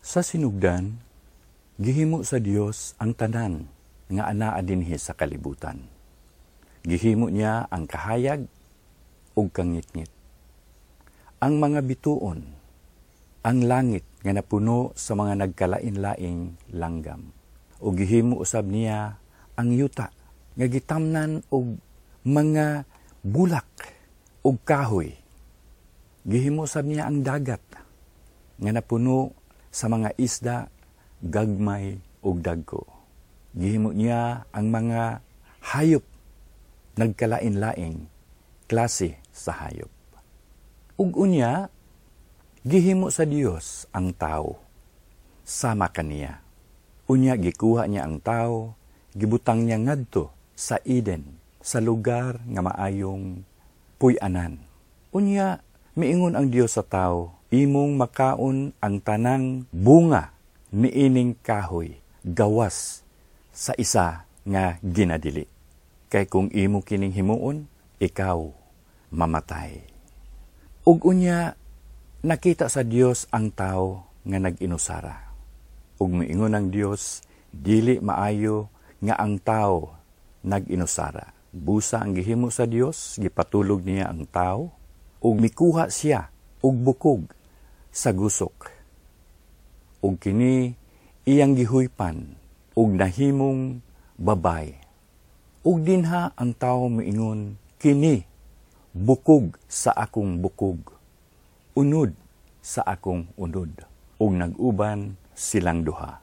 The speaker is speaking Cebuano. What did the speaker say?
Sa sinugdan, gihimo sa Dios ang tanan nga anaa dinhi sa kalibutan. Gihimo niya ang kahayag ug kangitngit, ang mga bituon, ang langit nga napuno sa mga nagkalain-laing langgam. Ug gihimo usab niya ang yuta nga gitamnan og mga bulak ug kahoy. Gihimo usab niya ang dagat nga napuno sa mga isda, gagmay ug dagko. Gihimo niya ang mga hayop, nagkalain-laing klase sa hayop. Ug unya, gihimo sa Dios ang tao sama kaniya. Unya gikuha niya ang tao, gibutang niya ngadto sa Eden, sa lugar nga maayong puy-anan. Unya miingon ang Dios sa tao, "Imong makaon ang tanang bunga niining kahoy gawas sa isa nga ginadili. Kay kung imo kining himuon, ikaw mamatay." Ug unya nakita sa Dios ang tao nga nag-inusara. Ug miingon ang Dios, "Dili maayo nga ang tao nag-inusara." Busa ang gihimo sa Dios, gipatulog niya ang tao ug mikuha siya og bukog sa gusok. Ug kini iyang gihuypan ug nahimong babay. Ug dinha ang tao miingon, "Kini bukog sa akong bukog, unod sa akong unod." Ug nag-uban silang duha.